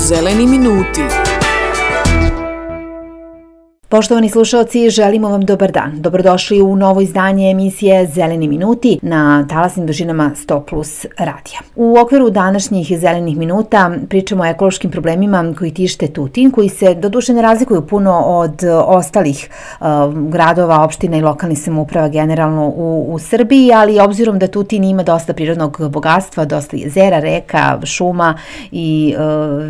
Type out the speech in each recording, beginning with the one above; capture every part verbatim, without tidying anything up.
Zeleni minuti. Poštovani slušalci, želimo vam dobar dan. Dobrodošli u novo izdanje emisije Zeleni minuti na talasnim dužinama sto plus radija. U okviru današnjih Zelenih minuta pričamo o ekološkim problemima koji tište Tutin, koji se doduše ne razlikuju puno od ostalih uh, gradova, opština i lokalnih samouprava generalno u, u Srbiji, ali obzirom da Tutin ima dosta prirodnog bogatstva, dosta jezera, reka, šuma i uh,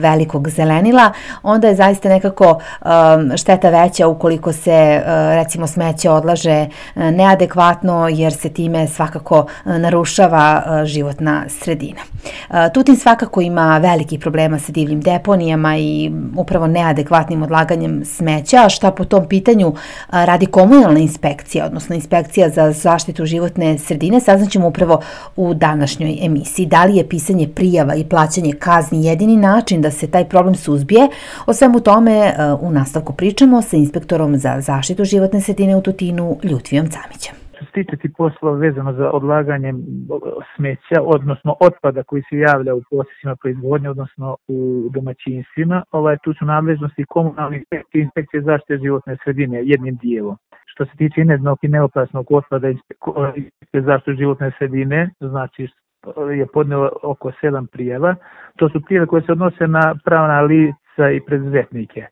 velikog zelenila, onda je zaista nekako uh, šteta veća ukoliko se recimo smeće odlaže neadekvatno jer se time svakako narušava životna sredina. Tutin svakako ima velikih problema sa divljim deponijama i upravo neadekvatnim odlaganjem smeća, a šta po tom pitanju radi komunalna inspekcija, odnosno inspekcija za zaštitu životne sredine, saznaćemo upravo u današnjoj emisiji. Da li je pisanje prijava i plaćanje kazni jedini način da se taj problem suzbije? O svemu tome u nastavku pričamo sa inspektorom za zaštitu životne sredine u Tutinu, Ljutvijom Camićem. Što se tiče ti poslova vezano za odlaganje smeća, odnosno otpada koji se javlja u procesima proizvodnje, odnosno u domaćinstvima, ovaj, tu su nadležnosti komunalne inspekcije, inspekcije zaštite životne sredine jednim dijelom. Što se tiče inerdnog i neopasnog otpada inspekcije zaštite životne sredine, znači je podneo oko sedam prijava. To su prijave koje se odnose na pravna lica i preduzetnike.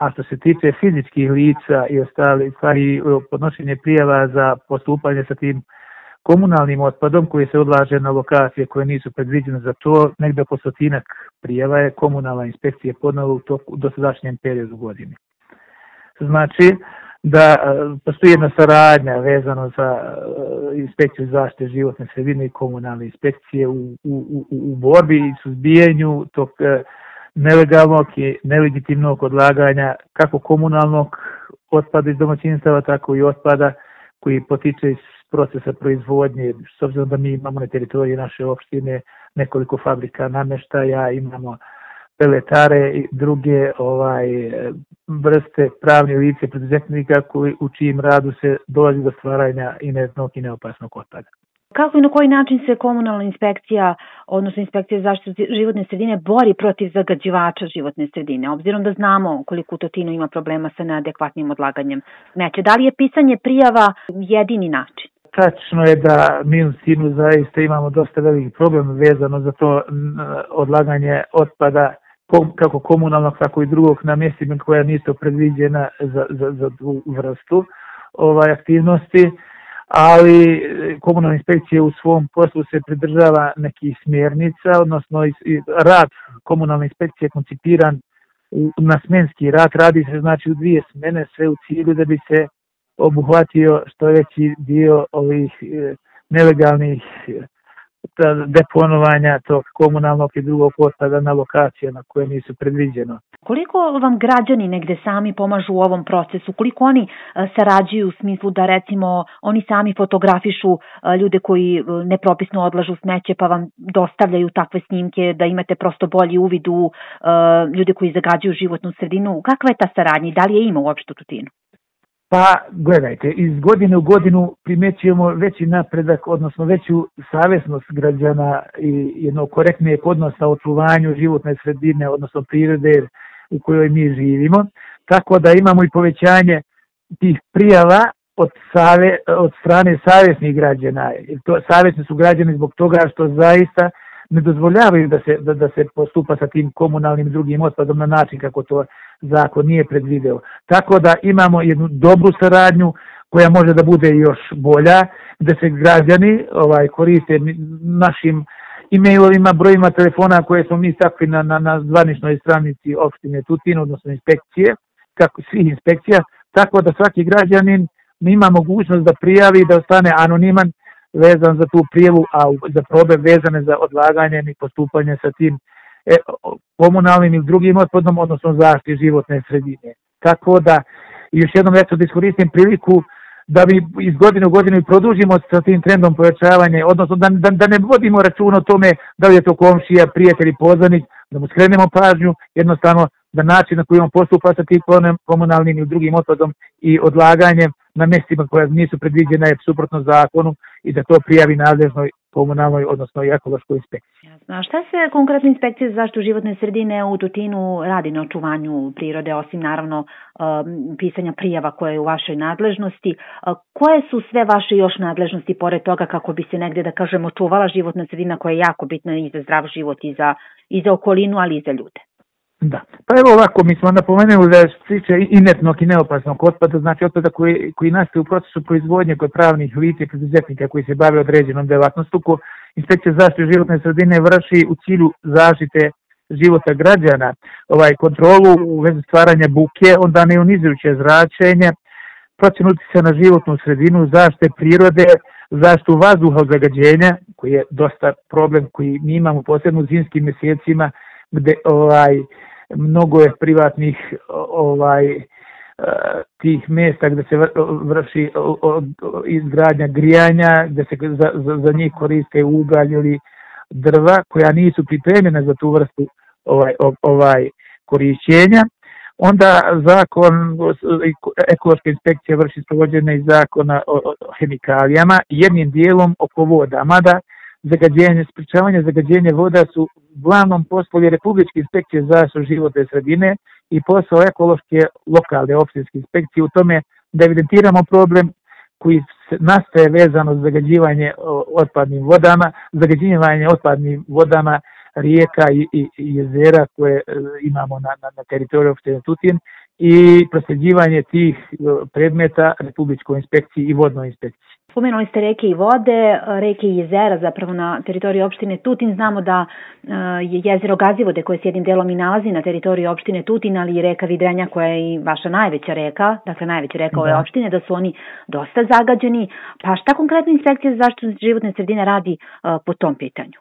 A što se tiče fizičkih lica i ostali stvari, podnošenje prijava za postupanje sa tim komunalnim otpadom koji se odlaže na lokacije koje nisu predviđene za to, negdje oko stotinak prijava je komunalna inspekcija podnela u toku dosadašnjem periodu godine. Znači da postoji jedna saradnja vezano za inspekciju zaštite životne sredine i komunalne inspekcije u, u, u, u borbi i suzbijanju tog nelegalnog i nelegitimnog odlaganja kako komunalnog otpada iz domaćinstava, tako i otpada koji potiče iz procesa proizvodnje. S obzirom da mi imamo na teritoriji naše opštine nekoliko fabrika namještaja, imamo peletare i druge ovaj vrste pravne lice preduzetnika koji u čijim radu se dolazi do stvaranja inertnog i neopasnog otpada. Kako i na koji način se komunalna inspekcija, odnosno inspekcija za zaštitu životne sredine, bori protiv zagađivača životne sredine, obzirom da znamo koliko u Tutinu ima problema sa neadekvatnim odlaganjem smeća? Da li je pisanje prijava jedini način? Tačno je da mi u Tutinu zaista imamo dosta veliki problem vezano za to odlaganje otpada, kako komunalnog, tako i drugog, na mjestima koja nisu predviđena za, za, za tu vrstu ovaj, aktivnosti. Ali komunalna inspekcija u svom poslu se pridržava nekih smjernica, odnosno rad komunalne inspekcije je koncipiran na smenski rad, radi se znači u dvije smene, sve u cilju da bi se obuhvatio što veći dio ovih nelegalnih deponovanja tog komunalnog i drugog otpada na lokacijama koje nisu predviđeno. Koliko vam građani negde sami pomažu u ovom procesu? Koliko oni sarađuju u smislu da recimo oni sami fotografišu ljude koji nepropisno odlažu smeće pa vam dostavljaju takve snimke da imate prosto bolji uvid u ljude koji zagađuju životnu sredinu? Kakva je ta saradnja i da li je ima uopšte u Tutinu? Pa gledajte, iz godine u godinu primećujemo veći napredak, odnosno veću savjesnost građana i jedno korektnije odnosa o očuvanju životne sredine, odnosno prirode u kojoj mi živimo. Tako da imamo i povećanje tih prijava od, save, od strane savjesnih građana. To, savjesni su građani zbog toga što zaista ne dozvoljavaju da se, da, da se postupa sa tim komunalnim drugim otpadom na način kako to zakon nije predvideo. Tako da imamo jednu dobru saradnju koja može da bude još bolja, gde se građani ovaj, koriste našim e-mailovima, brojima telefona koje smo mi stakli na, na, na zvaničnoj stranici opštine Tutin, odnosno inspekcije, kako svih inspekcija, tako da svaki građanin ima mogućnost da prijavi i da ostane anoniman vezan za tu prijavu, a za problem vezane za odlaganje i postupanje sa tim e, komunalnim ili drugim otpadom, odnosno zaštiti životne sredine. Tako da, još jednom eto da iskoristim priliku da mi iz godine u godinu produžimo sa tim trendom pojačavanja, odnosno da, da, da ne vodimo račun o tome da li je to komšija, prijatelj i poznanik, da mu skrenemo pažnju, jednostavno da način na koji on postupa sa tim komunalnim ili drugim otpadom i odlaganjem na mjestima koja nisu predviđena je suprotno zakonu i da to prijavi nadležnoj komunalnoj, odnosno i ekološkoj inspekciji. A šta se konkretno inspekcija za zaštitu životne sredine u Tutinu radi na očuvanju prirode, osim naravno pisanja prijava koje je u vašoj nadležnosti? Koje su sve vaše još nadležnosti pored toga kako bi se negde, da kažemo, očuvala životna sredina koja je jako bitna i za zdrav život i za, i za okolinu, ali i za ljude? Da, pa evo ovako, mi smo napomenuli da je što se tiče inertnog i neopasnog otpada, znači otpada koji, koji nastaje u procesu proizvodnje kod pravnih lica i preduzetnika koji se bave određenom delatnostu, inspekcija za zaštitu životne sredine vrši u cilju zaštite života građana, ovaj kontrolu u vezi stvaranja buke, onda neionizujuće zračenje, procjenu uticaja na životnu sredinu, zaštite prirode, zaštitu vazduha od zagađenja, koji je dosta problem koji mi imamo posebno u zimskim mjesecima, gde ovaj mnogo je privatnih ovaj tih mjesta gdje se vrši izgradnja grijanja, gdje se za, za, za njih koriste ugalj ili drva koja nisu pripremljena za tu vrstu ovaj ovaj korišćenja. Onda zakon, ekološka inspekcija vrši sprovođenje iz zakona o, o hemikalijama, jednim dijelom oko voda, mada zagađenje, sprečavanje zagađenja voda su uglavnom poslovi Republičke inspekcije za zaštitu životne sredine i posao ekološke lokalne opštinske inspekcije u tome da evidentiramo problem koji nastaje vezano za zagađivanje otpadnim vodama, zagađivanje otpadnim vodama rijeka i, i, i jezera koje imamo na, na, na teritoriju opštine Tutin i prosljeđivanje tih predmeta Republičkoj inspekciji i vodnoj inspekciji. Spomenuli ste reke i vode, reke i jezera zapravo na teritoriji opštine Tutin. Znamo da je jezero Gazivode koje se jednim delom i nalazi na teritoriji opštine Tutin, ali i reka Vidrenja koja je i vaša najveća reka, dakle najveća reka ove opštine, da su oni dosta zagađeni. Pa šta konkretno inspekcija za zaštitu životne sredine radi po tom pitanju?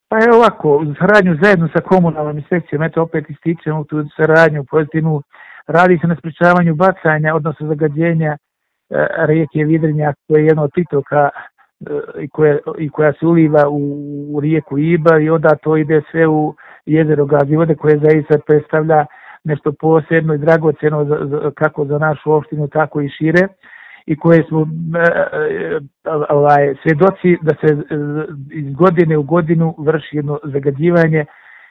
Pa je ovako, u saradnju zajedno sa komunalnom inspekcijom, eto opet ističemo tu saradnju pozitivnu, radi se na sprečavanju bacanja, odnosno zagađenja rijeke Vidrenja koja je jedna od pritoka i koja, i koja se uliva u, u rijeku Ibar i onda to ide sve u jezero Gazivode koje zaista predstavlja nešto posebno i dragocjeno za, za, kako za našu opštinu tako i šire i koje smo ovaj, svjedoci da se iz godine u godinu vrši jedno zagađivanje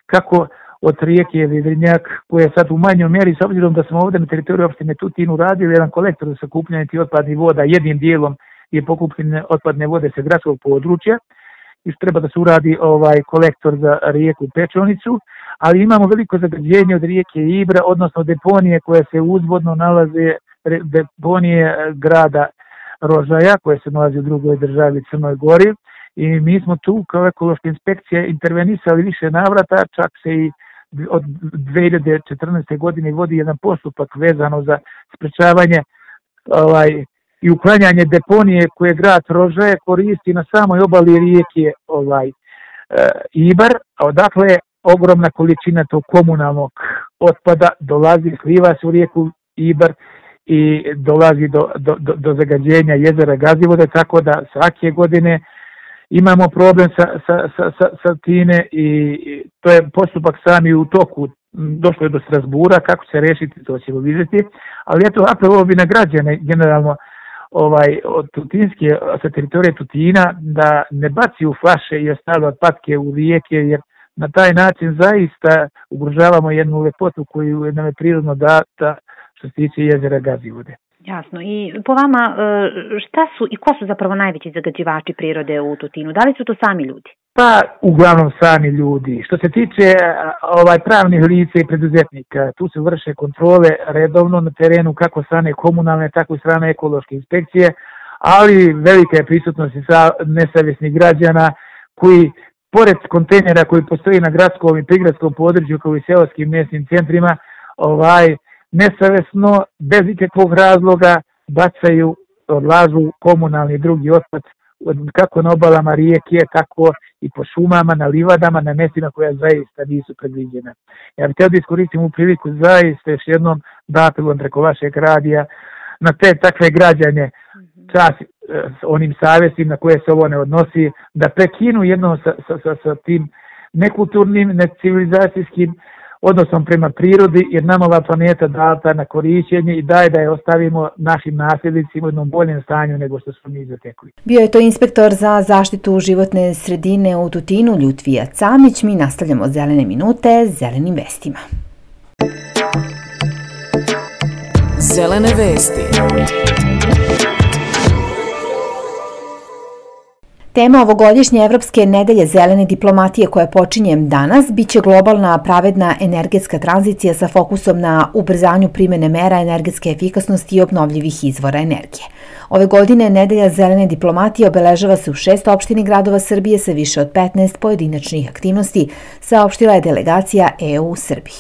kako od rijeke Vidrenjak, koja je sad u manjoj mjeri, s obzirom da smo ovdje na teritoriju opštine Tutin uradili jedan kolektor za sakupljanje tih otpadnih voda, jednim dijelom je pokupljene otpadne vode sa gradskog područja, i treba da se uradi ovaj kolektor za rijeku Pečonicu, ali imamo veliko zagađenje od rijeke Ibra, odnosno deponije koje se uzvodno nalaze, deponije grada Rožaja, koje se nalazi u drugoj državi Crnoj Gori, i mi smo tu kao ekološka inspekcija intervenisali više navrata, čak se i od dve hiljade četrnaeste. godine vodi jedan postupak vezano za sprečavanje ovaj, i uklanjanje deponije koje grad Rožaje koristi na samoj obali rijeke ovaj, e, Ibar, a odakle ogromna količina tog komunalnog otpada dolazi, sliva se u rijeku Ibar i dolazi do, do, do, do zagađenja jezera Gazivode, tako da svake godine imamo problem sa, sa, sa, sa, sa time i, i to je postupak sami u toku, došlo je do Strasbura, kako će se rešiti, to ćemo vidjeti, ali eto, apelovao bi na građane generalno ovaj, od Tutinske, sa teritorije Tutina, da ne baci u flaše i ostale otpadke u rijeke, jer na taj način zaista ugrožavamo jednu lepotu koju nam je prirodno data što se tiče jezera Gazivode. Jasno. I po vama, šta su i ko su zapravo najveći zagađivači prirode u Tutinu? Da li su to sami ljudi? Pa, uglavnom sami ljudi. Što se tiče ovaj pravnih lica i preduzetnika, tu se vrše kontrole redovno na terenu kako strane komunalne, tako i strane ekološke inspekcije, ali velika je prisutnost nesavjesnih građana koji, pored kontejnera koji postoji na gradskom i prigradskom području kao i seoskim mjesnim centrima, ovaj nesavjesno, bez ikakvog razloga bacaju, odlažu komunalni i drugi otpad kako na obalama rijeke, tako i po šumama, na livadama, na mjestima koja zaista nisu predviđena. Ja bih htio da iskoristim u priliku zaista još jednom da apelujem preko vašeg radija na te takve građane, čas onim savjestima na koje se ovo ne odnosi, da prekinu jednom sa, sa, sa, sa tim nekulturnim, necivilizacijskim odnosom prema prirodi, jer nam ova planeta data na korišćenje i daj da je ostavimo našim nasljednicima u jednom boljem stanju nego što smo mi zatekli. Bio je to inspektor za zaštitu životne sredine u Tutinu, Ljutvija Camić. Mi nastavljamo Zelene minute zelenim vestima. Zelene vesti. Tema ovogodišnje Evropske nedelje zelene diplomatije koja počinje danas biće globalna pravedna energetska tranzicija sa fokusom na ubrzanju primene mera energetske efikasnosti i obnovljivih izvora energije. Ove godine nedelja zelene diplomatije obeležava se u šest opštini gradova Srbije sa više od petnaest pojedinačnih aktivnosti, saopštila je delegacija E U u Srbiji.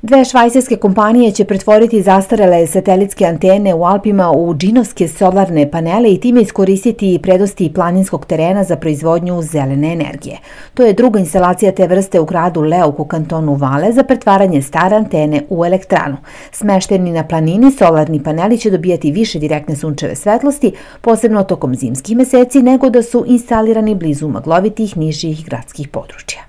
Dve švajcarske kompanije će pretvoriti zastarele satelitske antene u Alpima u džinovske solarne panele i time iskoristiti prednosti planinskog terena za proizvodnju zelene energije. To je druga instalacija te vrste u gradu Leuk u kantonu Vale za pretvaranje stare antene u elektranu. Smešteni na planini, solarni paneli će dobijati više direktne sunčeve svetlosti, posebno tokom zimskih meseci, nego da su instalirani blizu maglovitih nižih gradskih područja.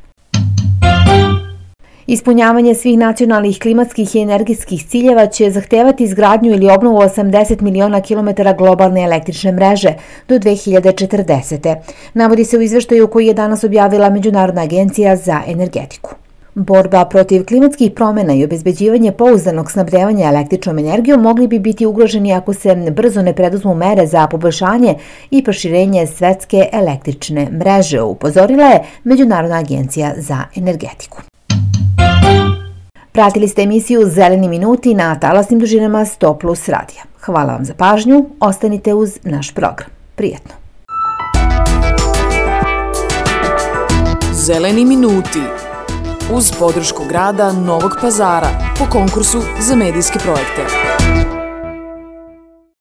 Ispunjavanje svih nacionalnih klimatskih i energetskih ciljeva će zahtevati izgradnju ili obnovu osamdeset miliona kilometara globalne električne mreže do dve hiljade četrdesete. Navodi se u izveštaju koji je danas objavila Međunarodna agencija za energetiku. Borba protiv klimatskih promjena i obezbeđivanje pouzdanog snabdevanja električnom energijom mogli bi biti ugroženi ako se brzo ne preduzmu mere za poboljšanje i proširenje svetske električne mreže, upozorila je Međunarodna agencija za energetiku. Pratili ste emisiju Zeleni minuti na talasnim dužinama sto plus radija. Hvala vam za pažnju, ostanite uz naš program. Prijetno. Zeleni minuti uz podršku grada Novog Pazara po konkursu za medijske projekte.